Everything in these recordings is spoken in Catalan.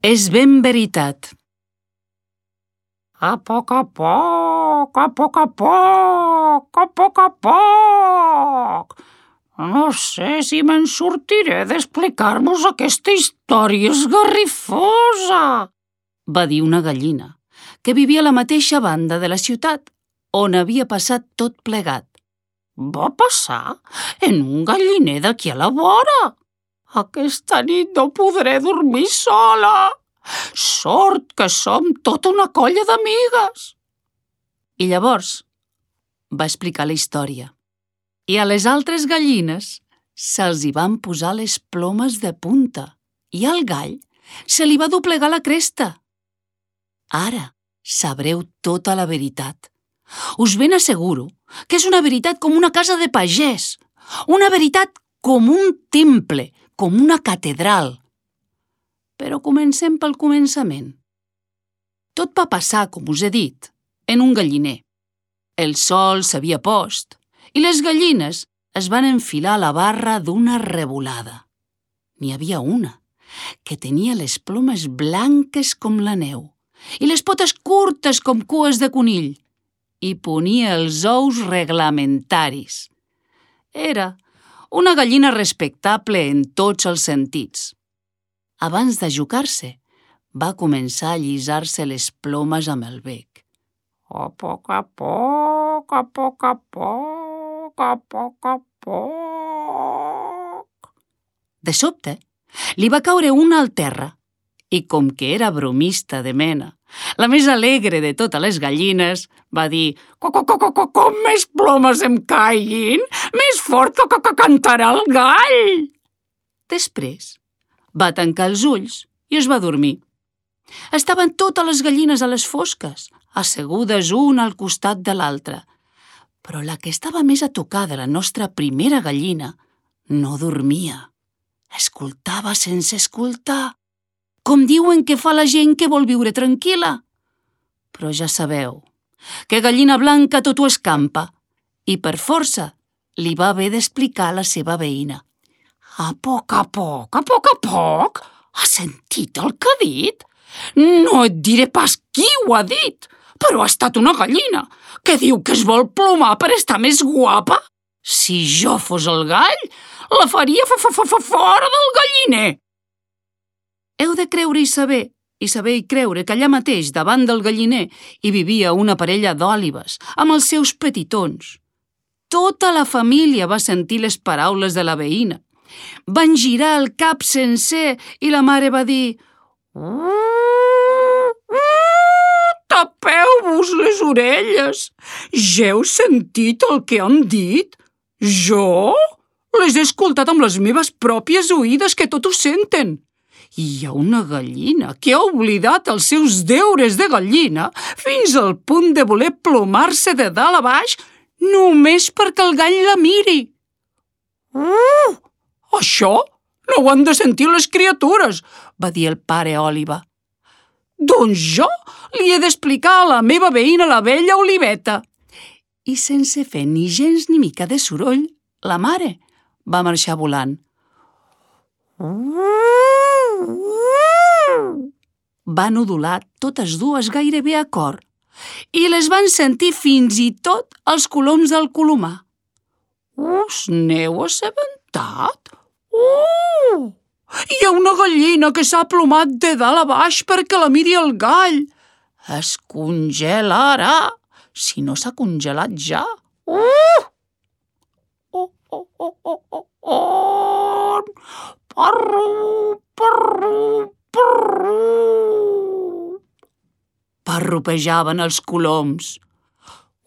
És ben veritat. A poc a poc, a poc a poc, a poc a poc. No sé si me'n sortiré d'explicar-vos aquesta història esgarrifosa, va dir una gallina, que vivia a la mateixa banda de la ciutat on havia passat tot plegat. Va passar en un galliner d'aquí a la vora. Aquesta nit no podré dormir sola. Sort que som tota una colla d'amigues. I llavors va explicar la història. I a les altres gallines se'ls hi van posar les plomes de punta i al gall se li va doblegar la cresta. Ara sabreu tota la veritat. Us ben asseguro que és una veritat com una casa de pagès, una veritat com un temple, com una catedral. Però comencem pel començament. Tot va passar, com us he dit, en un galliner. El sol s'havia post i les gallines es van enfilar a la barra d'una revolada. N'hi havia una que tenia les plomes blanques com la neu i les potes curtes com cues de conill i ponia els ous reglamentaris. Era una gallina respectable en tots els sentits. Abans d'ajucar-se, va començar a allisar-se les plomes amb el bec. A poc a poc, a poc a poc, a poc a poc. De sobte, li va caure una al terra i com que era bromista de mena, la més alegre de totes les gallines, va dir «Com més plomes em caiguin, més fort que cantarà el gall!» Després, va tancar els ulls i es va dormir. Estaven totes les gallines a les fosques, assegudes una al costat de l'altra. Però la que estava més a tocar de la nostra primera gallina no dormia. Escoltava sense escoltar, com diuen que fa la gent que vol viure tranquil·la. Però ja sabeu que gallina blanca tot ho escampa i per força li va haver d'explicar a la seva veïna. A poc a poc, a poc a poc? Has sentit el que ha dit? No et diré pas qui ho ha dit, però ha estat una gallina que diu que es vol plomar per estar més guapa. Si jo fos el gall, la faria fora del galliner. Heu de creure i saber i creure que allà mateix, davant del galliner, hi vivia una parella d'òlibes, amb els seus petitons. Tota la família va sentir les paraules de la veïna. Van girar el cap sencer i la mare va dir «Tapeu-vos les orelles! Ja heu sentit el que han dit? Jo? Les he escoltat amb les meves pròpies oïdes que tot ho senten. Hi ha una gallina que ha oblidat els seus deures de gallina fins al punt de voler plomar-se de dalt a baix només perquè el gall la miri. Això no ho han de sentir les criatures, va dir el pare Òliba. Doncs jo li he d'explicar a la meva veïna, la vella Oliveta. I sense fer ni gens ni mica de soroll, la mare va marxar volant. Van udolar totes dues gairebé a cor i les van sentir fins i tot els coloms del colomar. Us n'heu assabentat? Hi ha una gallina que s'ha plomat de dalt a baix perquè la miri el gall. Es congelarà, si no s'ha congelat ja. Parrupejaven els coloms.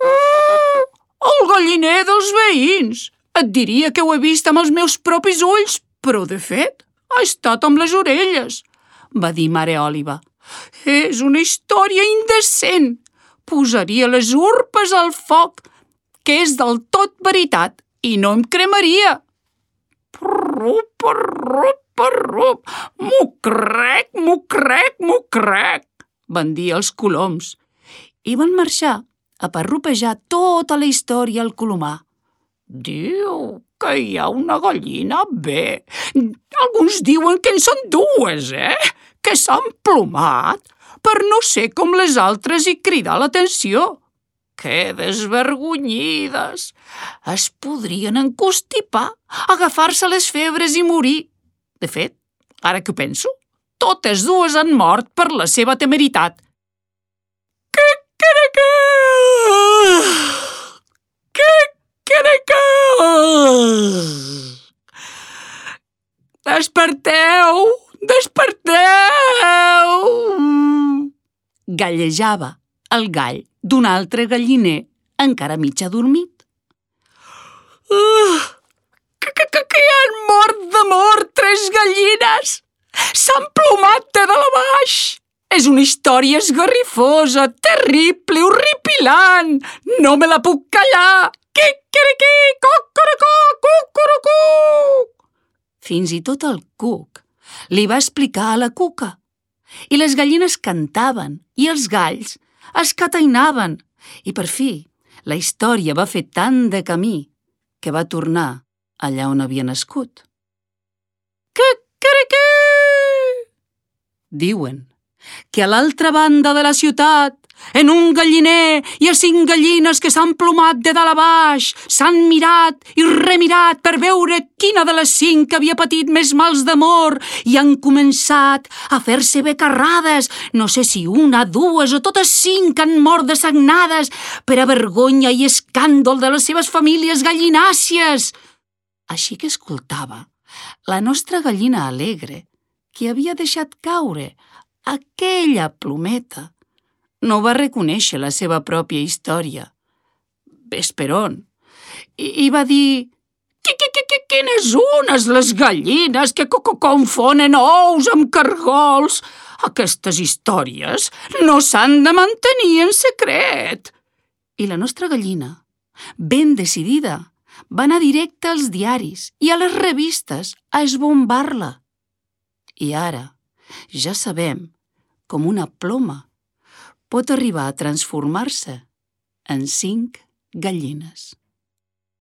El galliner dels veïns! Et diria que ho he vist amb els meus propis ulls, però de fet ha estat amb les orelles, va dir mare Òliba. És una història indecent. Posaria les urpes al foc, que és del tot veritat, i no em cremaria. Parrup, parrup, parrup, mucrec, mucrec, mucrec, van dir els coloms. I van marxar a parrupejar tota la història al colomar. Diu que hi ha una gallina? Bé, alguns diuen que en són dues, que s'han plomat per no ser com les altres i cridar l'atenció. Que desvergonyides! Es podrien encostipar, agafar-se les febres i morir. De fet, ara que ho penso, totes dues han mort per la seva temeritat. Desperteu! Desperteu! Gallejava el gall d'un altre galliner encara mig adormit. Que han mort d'amor 3 gallines! S'han plomat de dalt a baix! És una història esgarrifosa, terrible, horripilant! No me la puc callar! Quiquiriquí, cocorocó, cucurucú! Fins i tot el cuc li va explicar a la cuca. I les gallines cantaven i els galls escatainaven. I per fi, la història va fer tant de camí que va tornar allà on havia nascut. Quiquiriquí! Diuen que a l'altra banda de la ciutat, en un galliner, hi ha 5 gallines que s'han plomat de dalt a baix, s'han mirat i remirat per veure quina de les 5 havia patit més mals d'amor i han començat a fer-se becarrades. No sé si 1, 2 o totes 5 han mort de sagnades per a vergonya i escàndol de les seves famílies gallinàcies. Així que escoltava la nostra gallina alegre, que havia deixat caure aquella plometa. No va reconèixer la seva pròpia història. Ves per on. I va dir: Quines unes les gallines que confonen ous amb cargols! Aquestes històries no s'han de mantenir en secret. I la nostra gallina, ben decidida, va anar directe als diaris i a les revistes a esbombar-la. I ara ja sabem com una ploma pot arribar a transformar-se en 5 gallines.